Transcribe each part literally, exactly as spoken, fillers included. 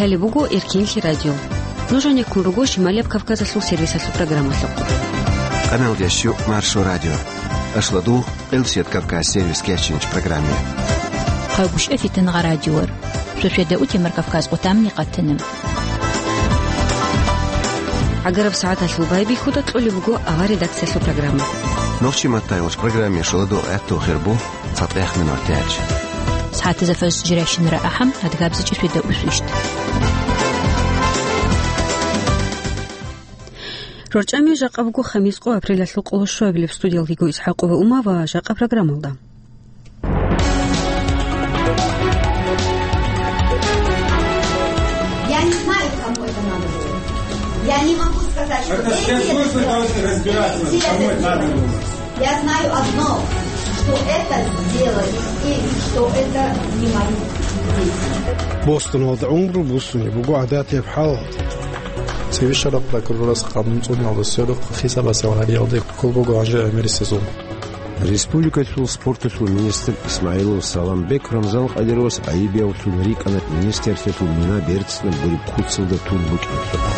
Гьале буго Эркенлъи радио. Нуж гьанеккун руго Шималияб Кавказалъул сервисалъул программалъухъ. Къамелдеш Маршо радио. Ашладу Къилсият Кавказ сервис кечинч программе. Хъагушев Фитнагъа радиор. Шошеда утемар Кавказ къутамни къатиним. ГӀагараб сагӀаталъул байбихьуда кьолеб буго авар редакциялъул программа. Нохчи маттайгъуч программе шуладу гӀатту хирбу. ЦатӀех минут тяч. СагӀатазда фарз жирайщинара ахӀам, адгабзичӀи фида усвищт. РорчӀами жакъа буго хамис къо апрелалъул къоло щуабилеб. Студиялдего Исхакова Ума ва жакъа программалда. Я не знаю, кому это надо было. Я не могу сказать, что... Это эти спецслужбы это, должны разбираться, эти кому это это надо было. Я знаю одно, что это сделали и что это не мои дети. Бостон валда гӀумру буссуни буго гӀадатияб хӀалалда. Цевешараб прокурорас къанун цӀуниялда сверухъ хисабасеб гьариялде кколбого гьанже гӀемерисезул. Республикалъул спорталъул министр Исмаилов Саламбек Рамзан Къадировас гӀайибиявлъун рикӀкӀана министрлъиялъул мина берцинаб гуреб куцалда тун букӀиналъухъ.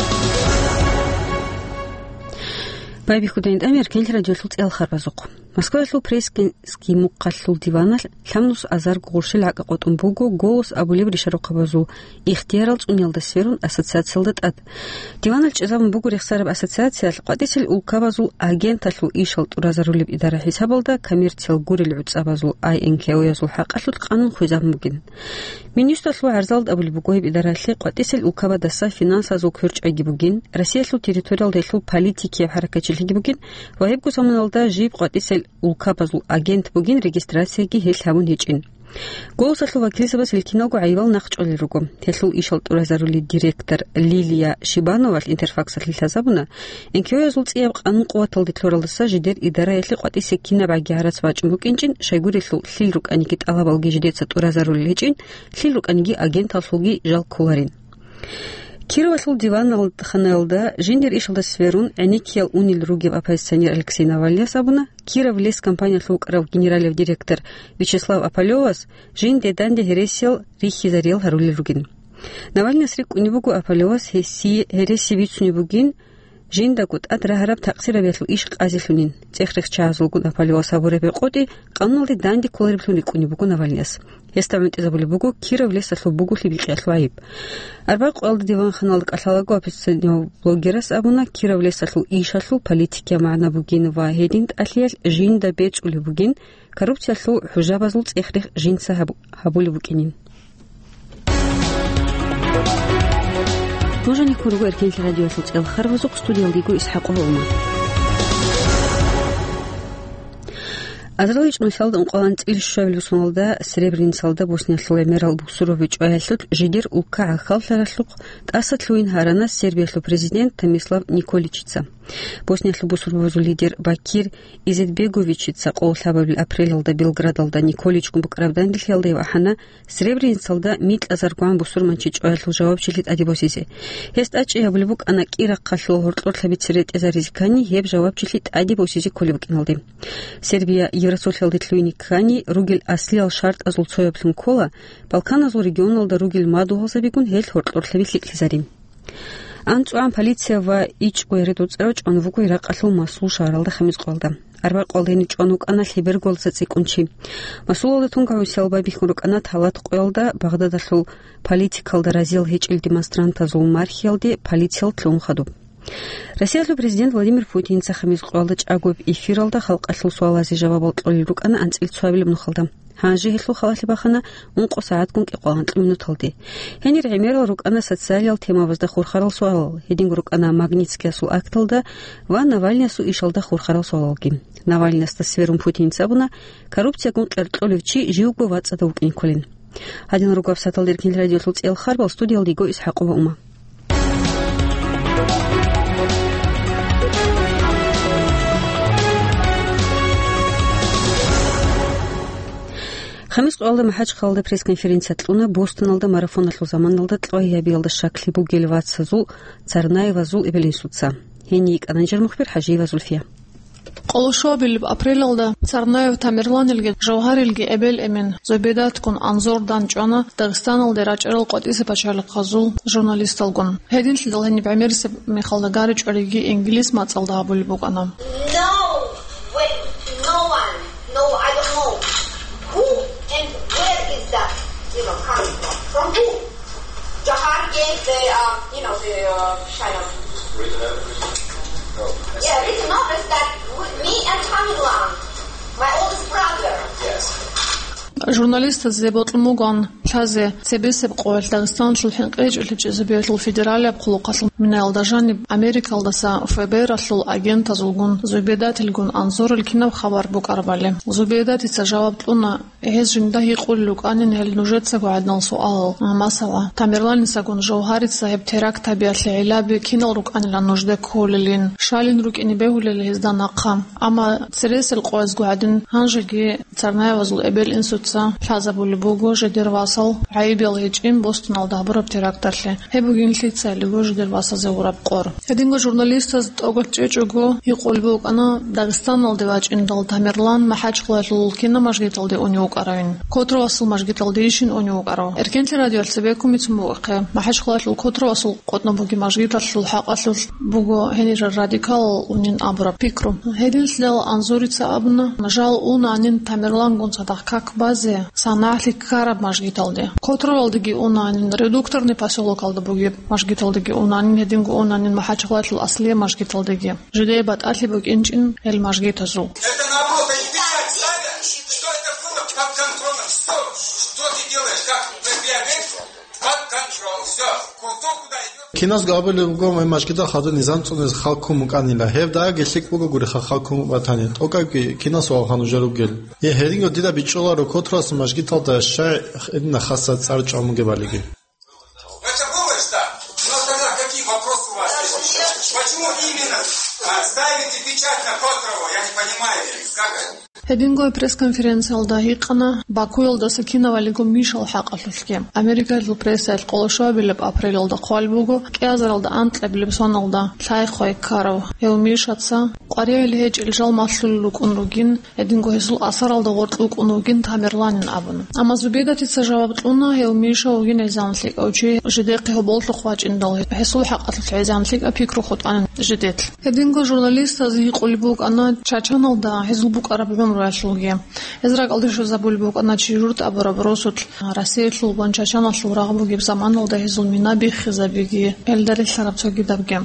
Байбихьудайин тӀамияр кенлъи радиолъул цӀел харбазухъ. Москваялъул Пресский мухъалъул диваналъ лъабнус азарго гъурщел гӀакӀа къотӀун буго «Голос» абулеб ришарухъабазул ихтиярал цӀуниялда сверун ассоциациялда тӀад. Диваналъ чӀезабун буго рехсараб ассоциациялъ къватӀисел улкабазул агенталъул ишал тӀуразарулеб идара хӀисабалда коммерциял гурел гӀуцӀабазул ай эн ке оязул хӀакъалъулъ къанун хвезабун бугин. Минюсталъул гӀарзалда абулеб буго гьеб идараялъе къватӀисел улкабадаса финансазул кверчӀайги бугин, Россиялъул территориялда гьелъул политикияб хӀаракатчилъиги бугин ва гьебго заманалда жиб къватӀисел улкабазул агент бугин регистрацияги гьелъ гьабун гьечӀин. «Голосалъул» вакилзабаз гьел киналго гӀайибал нахъчӀвалел руго. Гьелъул ишал тӀуразарулел директор Лилия Шибановалъ Интерфаксалъе лъазабуна, эн ке оязул цӀияб къанун къуваталде лъуралдаса жидер идараялъе къватӀисе кинабгӀаги гӀарац бачӀун букӀинчӀин, щайгурелъул лъил рукӀаниги тӀалабалги жидеца тӀуразарулел гьечӀин, лъил рукӀаниги агенталъулги жал кколарин. Кировалъул диваналханаялда жиндир ишалда сверун гӀенеккиял унел ругеб оппозиционер Алексей Навальныяс абуна, Киров лес компаниялъул вукӀарав генералияб директор Вячеслав Опалёвас жинде данде гьересиял рихьизариял гьарулел ругин. Навальныяс рикӀкӀунеб буго Опалёвас гьесие гьереси бицунеб бугин, жиндаго тӀад рагьараб такъсирабиялъул иш къазилъунин. ЦӀех-рех чагӀазулгун Опалёвас гьабураб гьекъотӀи къануналде данде кколареблъун рикӀкӀунеб буго Навальныяс. Гьесда гӀунтӀизабулеб буго Киров лесалъул бугулъи бикьиялъул гӀайиб. Арбякь къоялда диванханалда кӀалъалаго оппозиционер блогерас абуна, Киров лесалъул ишалъул политикияб магӀна бугин ва гьедин тӀалъиялъ жинда бецӀулеб бугин, коррупциялъул хӀужабазул цӀех-рех жинца гьаб-, гьабулеб букӀинин. Нуж гьанеккун руго Эркенлъи радиоялъул цӀел харбазухъ, студиялдего Исхакова Ума. Азарилан чӀумасалда ункъоялда анцӀила щуабилеб соналда Сребреницалда Босниялъул гӀемерал бусурбаби чӀваялъулъ жидер улка гӀахьаллъаралъухъ тӀаса лъугьин гьарана Сербиялъул президент Томислав Николичица. Босниялъул бусурбабазул лидер Бакир Изетбеговичица къоло лъабабилеб апрелалда Белградалда Николичгун букӀараб данделъиялда гьев ахӀана Сребреницалда микьазаргван бусурманчи чӀваялъул жавабчилъи тӀаде босизе. Гьес тӀадчӀей гьабулеб букӀана кӀирахъалъула гьоркьор лъабица ретӀезаризе ккани, гьеб жавабчилъи тӀаде босизе кколеб букӀиналде. Сербия Евросолъиялде лъугьине ккани, ругел аслиял шартӀазул цояблъун ккола, Балканазул регионалда ругел мадугьалзабигун гьел гьоркьор лъаби лъикӀлъизарин. АнцӀугӀан полиция ва ичӀго яре доцӀарав чӀван вуго Иракъалъул Масул шагьаралда Хамис къоялда. Арбякь къоялда гьенив чӀван вукӀана лъеберго цӀикӀкӀун чи. Масулалда тунга гӀусиял байбихьун рукӀана талат къоялда Багъдадалъул политикалда разиял гьечӀел демонстрантазул мархиялде полициялъ лъугьун хадуб. Россиялъул президент Владимир Путинца Хамис къоялда чӀагояб эфиралда халкъалъул суалазе жавабал кьолел рукӀана анцӀила цоабилеб нухалда. Гьанже гьелъул халалъи бахана ункъо сагӀатгун кӀикъоялда анкьабилеб минуталде. Гьенир гӀемерал рукӀана социалиял темабазда хурхарал суалал, гьединго рукӀана Магнитскиясул акталда ва Навальныясул ишалда хурхарал суалалги. Навальныясда сверун Путинца абуна, коррупциягун къеркьолев чи живго вацӀцӀадав вукӀин кколин. Гьадинал руго гьабсагӀаталда Эркенлъи радиолъул цӀел харбал, студиялда йиго Исхакова Ума. Хамис къоялда МахӀачхъалалда пресс-конференция кьуна Бостоналда марафоналъул заманалда кьвагьабиялда щаклъи бугел вацазул Царнаевазул эбел-инсуца. Гьенив йикӀана нижер мухбир ХӀажиева Зульфия. Къолошобилеб апрелалда Царнаев Тамерланилги Жавгьарилги эбел-эмен Зубейдатгун Анзор дандчӀвана Дагъистаналде рачӀарал къватӀиса пачалихъазул журналисталгун. Гьединлъидал гьениб гӀемерисеб мехалда гаричӀориги инглис мацӀалда гьабулеб букӀана. No, wait, no one, no, I don't know who and where is that, you know, coming from? From who? Jawhar gave the, uh, you know, the, uh, kind of, yeah, written notice that with me and Tamerlan, my oldest brother. Журналистазе бокьун бугоан лъазе цебесеб къоялъ Дагъистаналъул хӀинкъичӀелъи чӀезабиялъул федералияб хъулухъалъул минаялда жаниб Америкалдаса ФБР-алъул агентазулгун Зубейдатилгун Анзорил кинаб хабар букӀарабали. Зубейдатица жаваб кьуна, гьез жинда гьикъулел рукӀанин гьел нужецаго гӀадинал суалал, масала, Тамерланисагун Жавгьарица гьеб теракт гьабиялъе гӀиллаби кинал рукӀанилан нужде кколелин, щалин рукӀине бегьулел гьезда нахъа. Амма цересел къоязго гӀадин гьанжеги Царнаевазул эбел-инсуца лъазабулеб буго жидер васал гӀайибал гьечӀин Бостоналда гьабураб теракталъе. Гьеб бугин лъицайилго жидер васазе гьураб къор. Гьединго журналистаз тӀокӀалъ чӀечӀого гьикъулеб букӀана Дагъистаналде вачӀиндал Тамерлан МахӀачхъалаялъул кина мажгиталде унев вукӀаравин. Котровасул мажгиталдейищин унев вукӀарав. Эркенлъи радиоялъ цебеккун бицун бугохъе, МахӀачхъалаялъул Котровасул къотӀноб бугеб мажгиталъул хӀакъалъулъ буго гьенирал радикалал унин абураб пикру. Гьединлъидал Анзорица абуна, жал унанин Тамерлангун цадахъ как базе, санагӀлъи ккараб мажгиталде. Котровалдеги унанин, Редукторный посёлокалда бугеб мажгиталдеги унанин, гьединго унанин МахӀачхъалаялъул аслияб мажгиталдеги. Жидее батӀалъи букӀинчӀин гьел мажгитазул. Это наоборот, они печать ставят, что это было под контролем. Что, что ты делаешь, как ты реагируешь? Под контроль. Всё. Кто куда идёт? Киназго абулеб буго, мажгитал хадуб низам цӀунез хал ккун букӀанила. Гьеб дагьабги лъикӀ бугогури хал ккун батани, тӀокӀабги кинас вавха нужер ругел. Е, гьединго дида бичӀчӀуларо Котровасул мажгиталда щай гьедина хасаб цӀар чӀван бугебалиги. Это было, да. Но тогда какие вопросы у вас есть? Почему именно, а, ставите печать на Котрова? Я не понимаю. Как это? Гьединго пресс-конференциялда гьикъана Бакуялдаса кинавалиго Мишал хӀакъалъулъги. Америкалъул прессаялъ къолошабилеб апрелалда хъвалеб буго, кӀиазаралда анкьабилеб соналда лъай-хъвай ккарав гьев Мишаца къваригӀел гьечӀел жал малъулел рукӀун ругин, гьединго гьесул асаралда гъоркь вукӀун вугин Тамерланин абун. Амма Зубейдатица жаваб кьуна, гьев Миша вугин гӀезегӀан лъикӀав чи, жидехъе гьоболлъухъ вачӀиндал, гьесул хӀакъалъулъ гӀезегӀан лъикӀаб пикру хутӀанин жидехъ. Гьединго журналистаз гьикъулеб букӀана Чачаналда гьезул букӀараб гӀумруялъулги. Гьез ракӀалде щвезабулеб букӀана чи журт абураб росулъ, Россиялъул ва Чачаналъул рагъ бугеб заманалда гьезул мина биххизабиги, гьелда релълъараб цогидабги.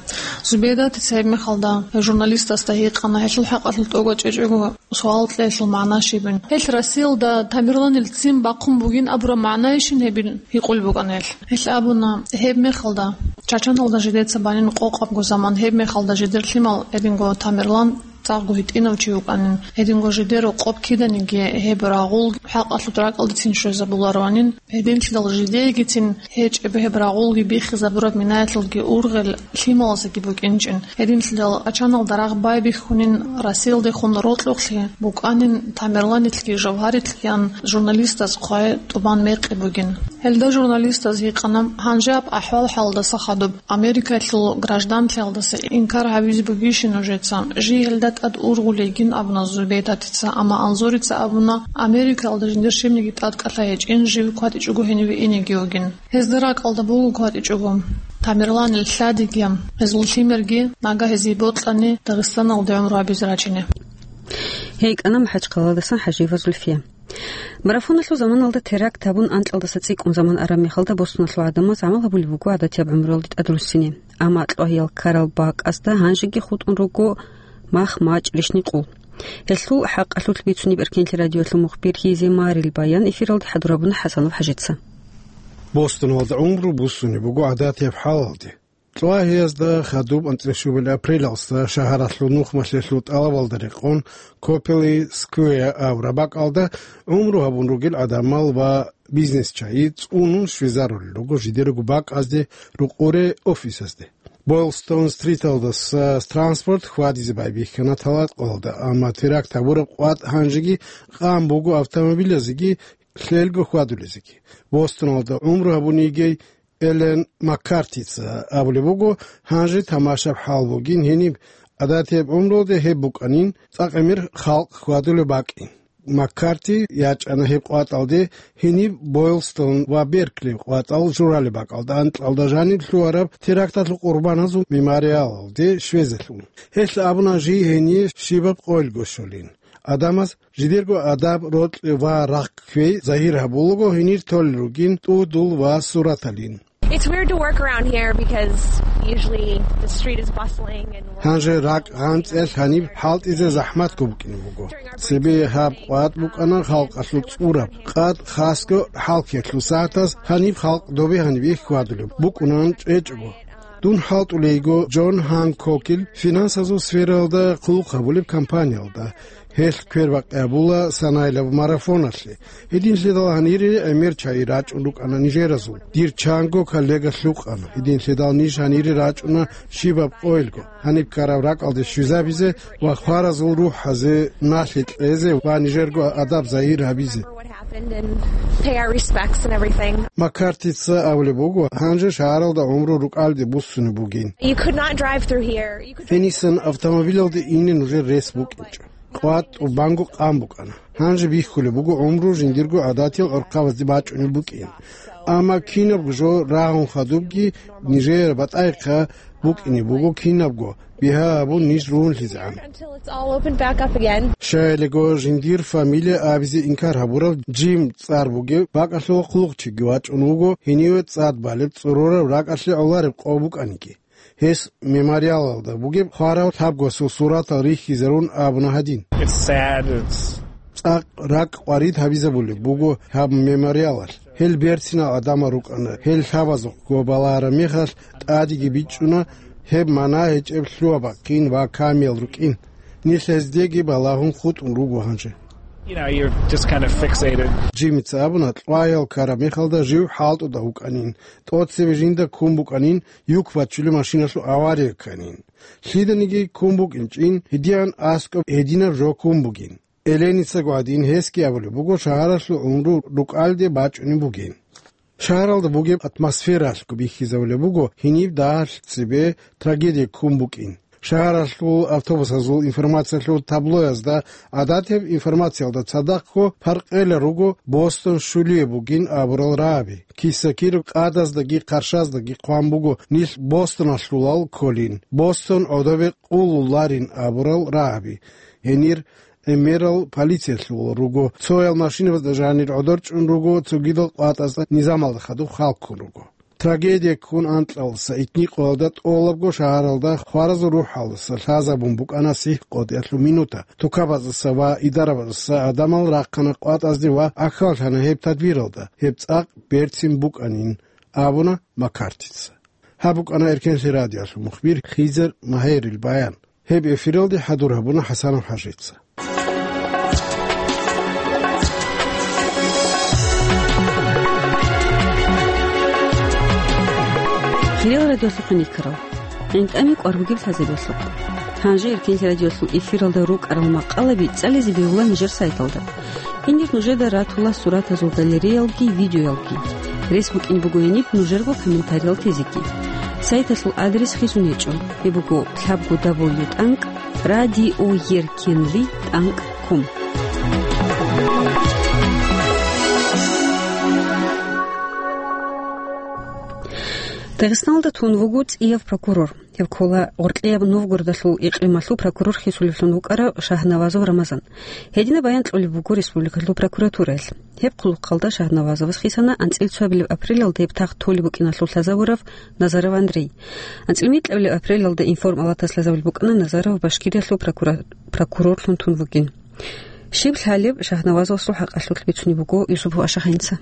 Зубейдатица гьеб мехалда журналистасда гьикъана, гьелъул хӀакъалъулъ тӀокӀаб чӀечӀого суал кьеялъул магӀна щибин. Гьелъ Россиялда Тамерланил ццин бахъун бугин абураб магӀнайищин гьебин гьикъулеб букӀана гьелъ. Гьелъ абуна, гьеб мехалда Чачаналда жидеца банин къокъабго заман, гьеб мехалда жидер лъимал гьединго Тамерлан цӀакъго гьитӀинав чи вукӀанин, гьединго жидер рокъоб киданиги гьеб рагъул хӀакъалъулъ ракӀалдецин щвезабулароанин, гьединлъидал жидеегицин гьечӀеб гьеб рагъулги биххизабураб минаялъулги ургъел лъималазеги букӀинчӀин. Гьединлъидал Чачаналда рагъ байбихьунин, Россиялдехун рокьухълъи букӀанин Тамерланилъги Жавгьарилъгиян журналистаз хъвай тӀубан мекъи бугин. Гьелда журналистаз гьикъана, гьанжеб ахӀвал-хӀалдаса хадуб Америкалъул гражданлъиялдаса инкар гьабизе бугищин нужеца? Жий гьелда тӀад ургъулейгин абуна Зубейдатица, амма Анзорица абуна, Америкалда жиндир щибниги тӀадкӀалъай гьечӀин, жив кватӀичӀого гьениве инеги вугин. Гьезда ракӀалда буго кватӀичӀого Тамерланил лъадиги, гьезул лъимерги, нагагь гьезие бокьани Дагъистаналде гӀумру гьабизе рачине. Гьей кӀана МахӀачхъалаялдасан ХӀажиева Зульфия. Марафоналъул заманалда теракт гьабун, анкьалдаса цӀикӀкӀун заман араб мехалда, Бостоналъул гӀадамаз гӀамал гьабулеб буго гӀадатияб гӀумруялде тӀадруссине. Амма кьвагьиял ккарал бакӀазда гьанжеги хутӀун руго мах, мачӀ, рищни, къул. Гьелъул хӀакъалъулъ бицунеб Эркенлъи радиоялъул мухбир Хизе Марил баян эфиралде хӀадур гьабуна ХӀасанов ХӀажица. Бостоналда гӀумру буссунеб буго гӀадатияб хӀалалде. Кьвагьиязда хадуб анцӀила щуабилеб апрелалдаса шагьаралъул нухмалъиялъул тӀалабалда рекъон Копели Сквер абураб бакӀалда гӀумру гьабун ругел гӀадамал ва бизнесчагӀи цӀунун щвезарулел руго жидерго бакӀазде рукъуре офисазде. Бойлстон-стриталдаса транспорт хьвадизе байбихьана талакъалда, амма теракт гьабураб къватӀ гьанжеги къан буго автомобилазеги лъелго хьвадулезеги. Бостоналда гӀумру гьабун йигей Эллен Маккартица абулеб буго, гьанже тамашаб хӀал бугин гьениб, Гьадатияб гӀумруялде гьеб букӀанин цӀакъ гӀемер халкъ хьвадулеб бакӀин. Маккарти ячӀана гьеб къватӀалде гьениб Бойлстон ва Беркли къватӀал журалеб бакӀалда анкьалда жаниб лъугьараб теракталъул къурбаназул мемориалалде щвезелъул. Гьелъ абуна жий гьение щибаб къойилго щолин. Адамаз жидерго адаб, рокьи ва рагъ кквей загьир гьабулаго гьенир толел ругин тӀудул ва сураталин. It's weird to work around here because usually the street is bustling and we're Гьанже ракӀ гъанцӀиялъ гьаниб хӀалтӀизе захӀматго букӀине буго. Цебе гьаб къватӀ букӀана халкъалъул цӀураб къад, хасго хӀалхьиялъул сагӀатаз гьаниб халкъ добе гьаниб ехь хьвадулеб букӀунан чӀечӀого. Дун хӀалтӀулейго Джон Ханкокил финансазул сфераялда хъулухъ гьабулеб компаниялда. Гьелъ квербакъи гьабула санаилаб марафоналъе. Гьединлъидал гьанире гӀемер чагӀи рачӀун рукӀана нижеразул. Дир чанго коллега лъукъана. Гьединлъидал ниж гьанире рачӀуна щибаб къойилго. Гьаниб ккараб ракӀалде щвезабизе ва хваразул рухӀазе налъи кьезе ва нижерго адаб загьир гьабизе. What happened and pay our respects and everything. Маккартица абулеб буго, гьанже шагьаралда гӀумру рукӀалде буссунеб бугин. You could not drive through here. You could Гьенисан автомобилалде ине нужер рес букӀинчӀо. КъватӀ тӀубанго къан букӀана. Гьанже бихьулеб буго гӀумру жиндирго гӀадатиял гӀурхъабазде бачӀунеб букӀин. Амма кинабго жо рагьун хадубги, нижер батӀайхъа букӀине буго кинабго, бигьа гьабун ниж ругьунлъизегӀан. Until it's all opened back up again. Щайилего жиндир фамилия абизе инкар гьабурав Джим цӀар бугев бакӀалъула хъулухъчиги вачӀун вуго гьениве цӀад балеб цӀорораб ракӀалъе гӀолареб къо букӀаниги. Гьес мемориалалда бугеб хварав лъабгосул суратал рихьизарун абуна гьадин. It's sad, it's цӀакъ ракӀ къварид гьабизабулеб буго гьаб мемориалалъ. Гьел берцинал гӀадамал рукӀана, гьел лъабазухъго балагьараб мехалъ тӀадеги бичӀчӀуна, гьеб мана гьечӀеб лъугьа бахъин ва камиял рукӀин. Нилъ гьездеги балагьун хутӀун руго гьанже. You know, you're just kind of fixated. Джимица абуна, кьваял ккараб мехалда жив хӀалтӀуда вукӀанин, тӀоцебе жинда ккун букӀанин, юк бачулеб машиналъул авария кканин. Лъиданиги ккун букӀинчӀин, гьедигӀан аскӀоб гьединаб жо ккун бугин. Эленицаго гӀадин гьесги абулеб буго, шагьаралъул гӀумру рукӀалде бачӀунеб бугин. Шагьаралда бугеб атмосфералъго бихьизабулеб буго гьениб дагьалъ цебе трагедия ккун букӀин. Шагьаралъул автобусазул информациялъул таблоязда, гӀадатияб информациялда цадахъго, паркъела руго Бостон щулияб бугин абурал рагӀаби. Киса-кир къадаздаги къаршаздаги хъван буго нилъ Бостоналъулал кколин, Бостон гӀодобе къулуларин абурал рагӀаби. Гьенир гӀемерал полициялъул руго, цоял машинабазда жанир гӀодор чӀун руго, цогидал къватӀазда низамалда хадуб халккун руго. Трагедия ккун анкьалдаса итни къоялда тӀолабго шагьаралда хваразул рухӀалдаса лъазабун букӀана сихӀ къотӀиялъул минута. Тукабаздаса ва идарабаздаса гӀадамал рахъана къватӀазде ва ахьаллъана гьеб тадбиралда, гьеб цӀакъ берцин букӀанин, абуна Маккартица. Гьаб букӀана Эркенлъи радиоялъул мухбир Хизер Магьерил баян. Гьеб эфиралде хӀадур гьабуна ХӀасанов ХӀажица. Хириял радиолъухъ никарал. ГӀинтӀами кӀвар бугеб лъазабиялъухъ. Гьанже Эркенлъи радиолъул эфиралда рукӀарал макъалаби цӀализе бегьула нижер сайталда. Гьенир нужеда ратула суратазул галереялги видеоялги. Рес букӀин буго гьениб нужерго комментариял тезеги. Сайталъул адрес хисун гьечӀо. Гьеб буго лъабго дабл ю тӀанкӀ радиоеркенлъи тӀанкӀ ком. Дагъистаналда тун вуго цӀияв прокурор. Гьев ккола Гъоркьияб Новгородалъул икъималъул прокурор хисулевлъун вукӀарав Шагьнавазов Рамазан. Гьединаб баян кьолеб буго республикалъул прокуратураялъ. Гьеб хъулухъалда Шагьнавазовас хисана анцӀила цоабилеб апрелалда гьеб тахт толеб букӀиналъул лъазавурав Назаров Андрей. АнцӀила микьабилеб апрелалда Информ Алатас лъазабулеб букӀана Назаров Башкириялъул прокура-, прокурорлъун тун вугин. Щиб лъалеб Шагьнавазовасул хӀакъалъулъ бицунеб буго Юсупов Ашахинца.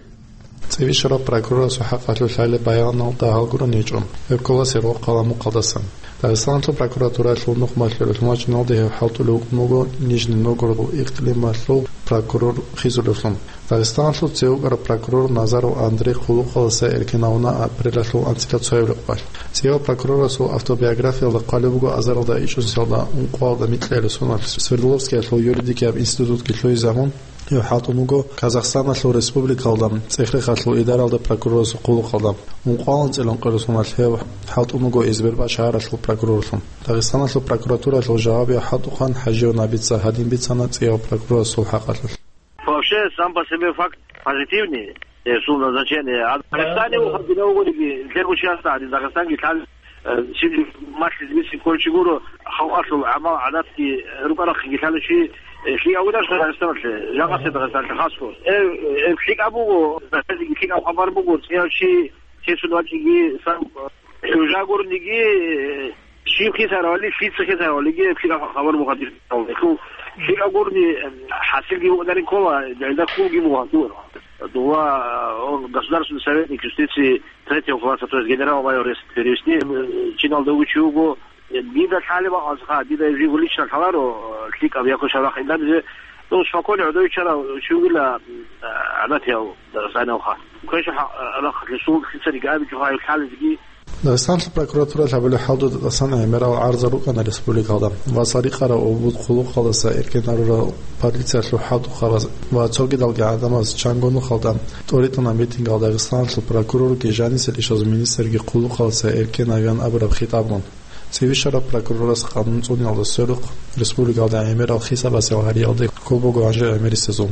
ЦӀибищараб прокурорасул хӀакъалъулъ лъалеб баяналда гьалгурун гьечӀо, гьеб ккола Сергокъала мукъалдасан. Дагъистаналъул прокуратуралъул нухмалъе гӀолмачӀиналда гьев хӀалтӀулев вукӀун вуго Нижний Новгородул икълималъул прокурор хисулевлъун. Дагъистаналъул цеве вукӀарав прокурор Назаров Андрей хъулухъалдаса эркин гьавуна апрелалъул анцӀила цоябилеб къоялъ. ЦӀияв прокурорасул автобиографиялда хъвалеб буго азаралда ичӀнусиялда ункъоялда микьабилеб соналъ Свердловскиялъул юридикияб институтги лъугьизе гьавун, Гьев хӀалтӀун вуго Казахстаналъул республикалда цӀех-рехалъул идаралда прокурорасул хъулухъалда. Ункъоялда анцӀила ункъоялда соналъ гьев хӀалтӀун вуго Избербаш шагьаралъул прокурорлъун. Дагъистаналъул прокуратуралъул жавабияв хӀалтӀухъан ХӀажиев Набица гьадин бицана цӀияб прокурорасул хӀакъалъулъ. Вообще, сам по себе факт позитивный, э, сул назначение. А в Дагестане ухаб динавгориги, лъебучиясда гьадин Дагестанги лъал, э, сибли малъиз биси кколчи гуро, халкъалъул гӀамал-гӀадатги рукӀарахъиги лъалучи, э, лъикӀав вугаш Дагестаналъе, жакъасе Дагестаналъе хасго. Э, э, лъикӀаб буго, лъикӀаб хабар буго, цӀияв чи, чесун вачӀиги, сам, э, жагурниги, э, Щиб хисаравали, лъица хисаравалиги, лъикӀа хабар бугьадир. ЛъикӀа гурни, хӀасилги букӀунарин ккола, гьелда хьулги бугьадур. Дугьа, он, государственный советник юстиции третьего класса, то есть генерал-майор, если перевести, э, чиналда вугев чи вуго, э, дида лъалеб бакӀалъха, дида жив лично лъаларо, э, лъикӀаб якъу шарахъ инданизе, ну, спокойно гӀодов чара чи вугила, э, гӀадатияв, э, санавха. Квеша, э, рахъ лъисул лъицариги абичӀо гьай лъалезги, Дагъистаналъул прокуратуралъ гьабулеб хӀалтӀуда тӀасан гӀемерал гӀарзал рукӀана республикалда ва цӀар рикъараб обуд хъулухъалдаса эркенарурал полициялъул хӀалтӀухъабаз ва цогидалги гӀадамаз чанго нухалда тӀоритӀуна митингал Дагъистаналъул прокурорги жанисел ишазул министрги хъулухъалдаса эркенавиан абураб хитӀабгун. ЦӀибищараб прокурорас къанун цӀуниялда сверухъ республикалда гӀемерал хисабасел гьариялде кколеб буго гьанже гӀемерисезул.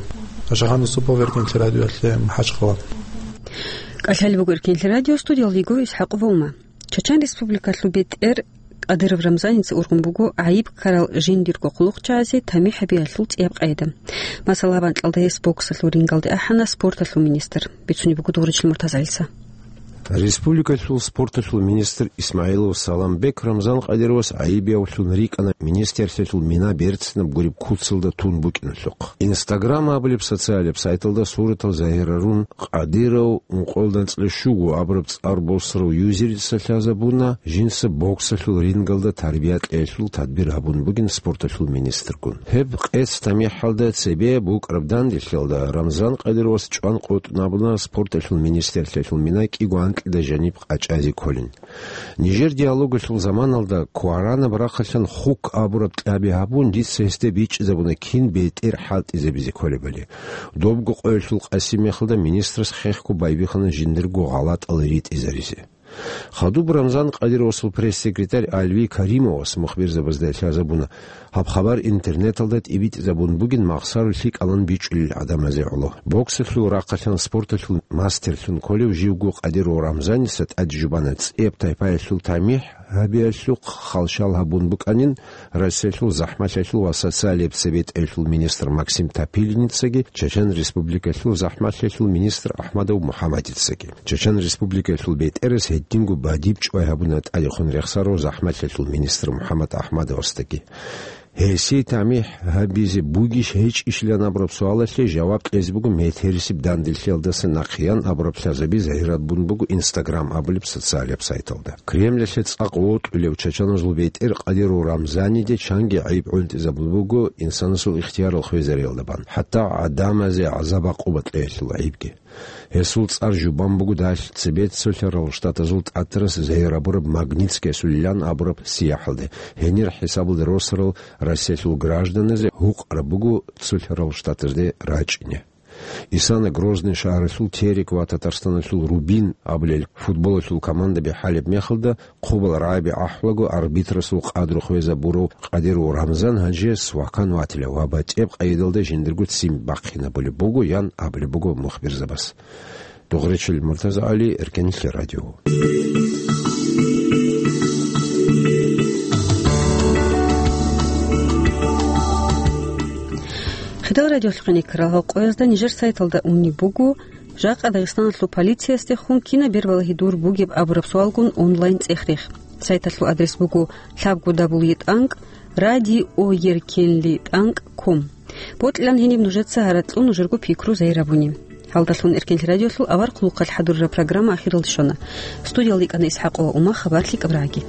Ашагьан Юсупов, Эркенлъи радиоялъе, МахӀачхъала. КӀалъалеб буго Эркенлъи радио, студиялда йиго ИсхӀакъ Вовма. Чачан Республикалъул бетӀер Кадыров Рамзаница ургъун буго гӀайиб ккарал жиндирго хъулухъчагӀазе тамихӀ гьабиялъул цӀияб къайда. Масала, гьаб анкьалда гьес боксалъул рингалде ахӀана спорталъул министр, бицунеб буго Дугъричил МуртазагӀилица. Республикалъул спорталъул министр ИсмагӀилов Саламбек Рамзан Кадыровас гӀайибиявлъун рикӀкӀана министрлъиялъул мина берцинаб гуреб куцалда тун букӀиналъухъ. Instagram абулеб социалаб сайталда суратал загьирарун, Кадыров ункъоялда анцӀила щуго абураб цӀар босарав юзерица лъазабуна, жинца боксалъул рингалда тарбия кьеялъул тадбир гьабун бугин спорталъул министргун. Гьеб къец тамихӀалда цебе букӀараб данделъиялда Рамзан Кадыровас чӀван къотӀун абуна спорталъул министрлъиялъул мина кӀиго анкьида жаниб къачӀазе кколин. Нижер диалогалъул заманалда кваранаб рахъалъан хук абураб тӀаби гьабун, дица гьесде бичӀчӀизабуна кин бетӀер хӀалтӀизабизе кколебали. Добго къоялъул къасиб мехалда министрас хехго байбихьана жиндирго гъалатӀал ритӀизаризе. Хадуб Рамзан Кадыровасул пресс-секретарь Алви Каримовас мухбирзабазда лъазабуна, гьаб хабар интернеталда тӀибитӀизабун бугин махсарулъи кӀалан бичӀчӀулел гӀадамазе гӀоло. Боксалъул рахъалъан спорталъул мастерлъун кколев живго Кадыров Рамзаница тӀаде жубана цӀияб тайпаялъул тамихӀ гьабиялъухъ халщал гьабун букӀанин Россиялъул захӀмалъиялъул ва социалияб цебетӀаялъул министр Максим Топилиницаги Чачан Республикалъул захӀмалъиялъул министр Ахмадов МухӀаммадицаги. Чачан Республикалъул бетӀерас гьединго бадиб чӀвай гьабуна тӀадехун рехсарав захӀмалъиялъул министр МухӀаммад Ахмадовасдаги. Гьесие тамихӀ гьабизе бугищ гьечӀищилан абураб суалалъе жаваб кьезе буго метерисеб данделъиялдаса нахъеян абураб лъазаби загьирабун буго Instagram абулеб социалияб сайталда. Кремльалъе цӀакъ вокьулев чачаназул бетӀер Кадыров Рамзаниде чанги гӀайиб гӀунтӀизабулеб буго инсанасул ихтиярал хвезариялда бан, хӀатта гӀадамазе гӀазаб-гӀакъуба кьеялъул гӀайибги. Гьесул цӀар жубан буго далъ цебе Цолъарал Штатазул тӀатарас загьир гьабураб Магнитскиясулилан абураб сияхӀалде. Гьенир хӀисабалде росарал Россиялъул гражданазе гьукъараб буго Цолъарал Штатазде рачӀине. Исана Грозный шагьаралъул Терек ва Татарстаналъул Рубин абулел футболалъул командаби хӀалеб мехалда, хъубал рагӀаби ахӀулаго арбитрасул къадру хвезабурав Кадыров Рамзан гьанже свакан ватила ва батӀияб къайдалда жиндирго ццин бахъинабулеб буго, ян абулеб буго мухбирзабаз. Дугъричил МуртазагӀали, Эркенлъи радио. Хидал радиолъухъе ккарал гьал къоязда нижер сайталда унеб буго, жакъа Дагъистаналъул полициясдехун кинаб бербалагьи дур бугеб абураб суалгун онлайн цӀех-рех. Сайталъул адрес буго лъабго дабл ю тӀанкӀ радиоеркенлъи тӀанкӀ ком. Бокьилан гьениб нужеца гьаракьлъун нужерго пикру загьир гьабуни. Гьалдалъун Эркенлъи радиолъул авар хъулухъалъ хӀадурараб программа ахиралде щвана. Студиялда йикӀана ИсхӀакъова Ума, хабар лъикӀаб рагӀаги.